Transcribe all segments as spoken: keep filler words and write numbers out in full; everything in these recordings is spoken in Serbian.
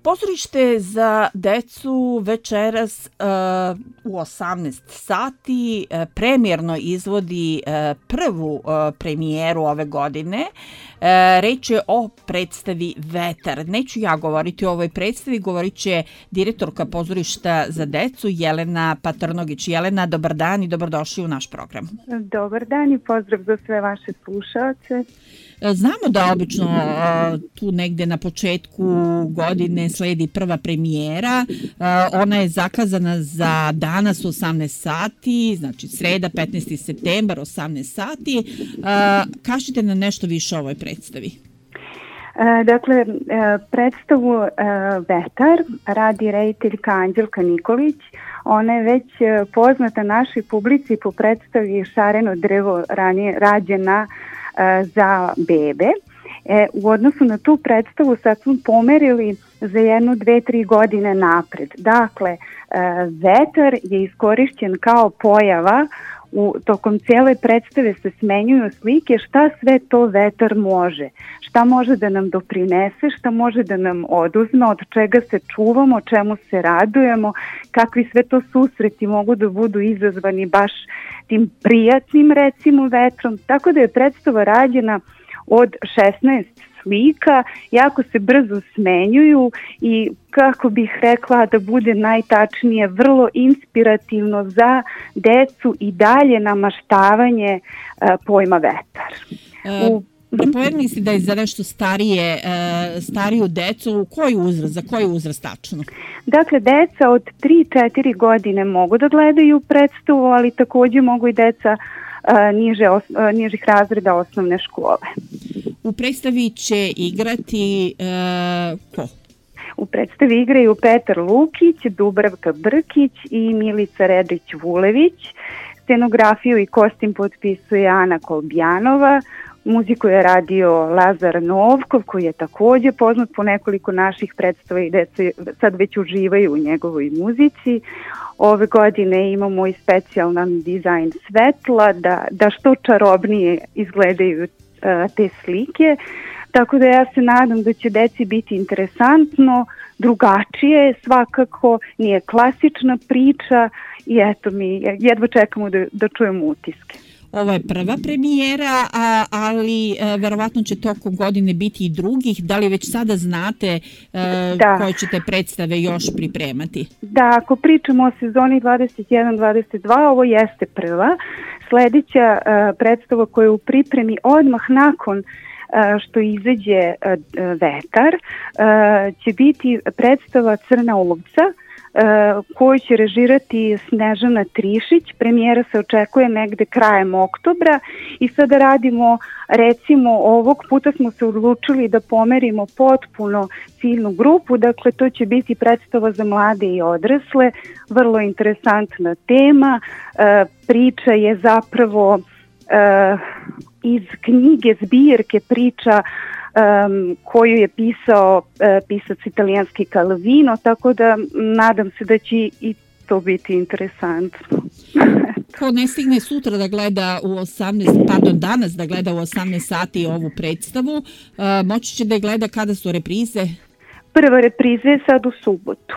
Pozorište za decu večeras uh, u osamnaest sati uh, premijerno izvodi uh, prvu uh, premijeru ove godine. Uh, reč je o predstavi Vetar. Neću ja govoriti o ovoj predstavi, govorit će direktorka pozorišta za decu Jelena Patrnogić. Jelena, dobar dan i dobrodošli u naš program. Dobar dan i pozdrav za sve vaše slušaoce. Znamo da obično uh, tu negde na početku godine sledi prva premijera. Uh, ona je zakazana za danas u osamnaest sati, znači sreda petnaesti septembar osamnaest sati. Uh, kažite nam nešto više o ovoj predstavi. E, dakle, e, predstavu e, Vetar radi rediteljka Anđelka Nikolić. Ona je već poznata našoj publici po predstavi Šareno drvo, ranije rađena e, za bebe. E, u odnosu na tu predstavu sad smo pomerili za jednu, dve, tri godine napred. Dakle, e, Vetar je iskorišćen kao pojava. U tokom cijele predstave se smenjuju slike šta sve to vetar može, šta može da nam doprinese, šta može da nam oduzme, od čega se čuvamo, čemu se radujemo, kakvi sve to susreti mogu da budu izazvani baš tim prijatnim recimo vetrom. Tako da je predstava rađena od šesnaest slika, jako se brzo smenjuju i kako bih rekla da bude najtačnije, vrlo inspirativno za decu i dalje namaštavanje uh, pojma vetar. U... Pomenuli ste da je za nešto starije, uh, stariju decu, koji uzrast, za koji uzrast tačno? Dakle, deca od tri do četiri godine mogu da gledaju predstavu, ali također mogu i deca uh, niže, os, uh, nižih razreda osnovne škole. U predstavi će igrati uh, ko? U predstavi igraju Petar Lukić, Dubravka Brkić i Milica Redrić-Vulević. Scenografiju i kostim potpisuje Ana Kolbjanova. Muziku je radio Lazar Novkov, koji je također poznat po nekoliko naših predstava i deca sad već uživaju u njegovoj muzici. Ove godine imamo i specijalan dizajn svetla da, da što čarobnije izgledaju te slike, tako da ja se nadam da će deci biti interesantno, drugačije svakako, nije klasična priča i eto mi jedva čekamo da, da čujemo utiske. Ovo je prva premijera, a, ali a, verovatno će tokom godine biti i drugih. Da li već sada znate a, koje ćete predstave još pripremati? Da, ako pričamo o sezoni dvadeset jedan dvadeset dva, ovo jeste prva. Sljedeća uh, predstava koja je u pripremi odmah nakon uh, što izađe uh, Vetar uh, će biti predstava Crna ovca uh, koju će režirati Snežana Trišić. Premijera se očekuje negde krajem oktobra i sada radimo, recimo ovog puta smo se odlučili da pomerimo potpuno ciljnu grupu, dakle to će biti predstava za mlade i odrasle, vrlo interesantna tema. E, priča je zapravo e, iz knjige zbirke priča um, koju je pisao e, pisac italijanski Calvino, tako da nadam se da će i to biti interesantno. Ko ne stigne sutra da gleda u osamnaest, pardon, danas da gleda u osamnaest sati ovu predstavu, uh, moći će da je gleda kada su reprize? Prva repriza je sad u subotu.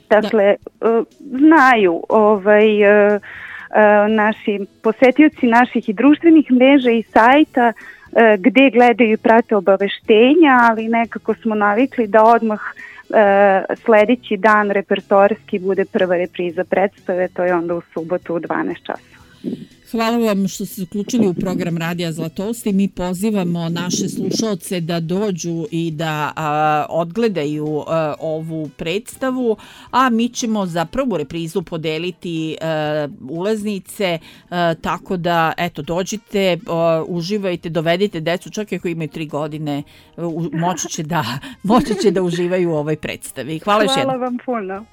Dakle, da. uh, znaju ovaj, uh, uh, naši posetioci naših i društvenih mreža i sajta uh, gde gledaju i prate obaveštenja, ali nekako smo navikli da odmah Uh, sljedeći dan repertoarski bude prva repriza predstave, to je onda u subotu u dvanaest časova. Hvala vam što ste uključili u program Radija Zlatosti. Mi pozivamo naše slušaoce da dođu i da a, odgledaju a, ovu predstavu, a mi ćemo za prvu reprizu podeliti a, ulaznice, a, tako da eto dođite, a, uživajte, dovedite decu, čak i ako imaju tri godine, u, moći će da, moći će da uživaju u ovoj predstavi. Hvala, Hvala vam puno.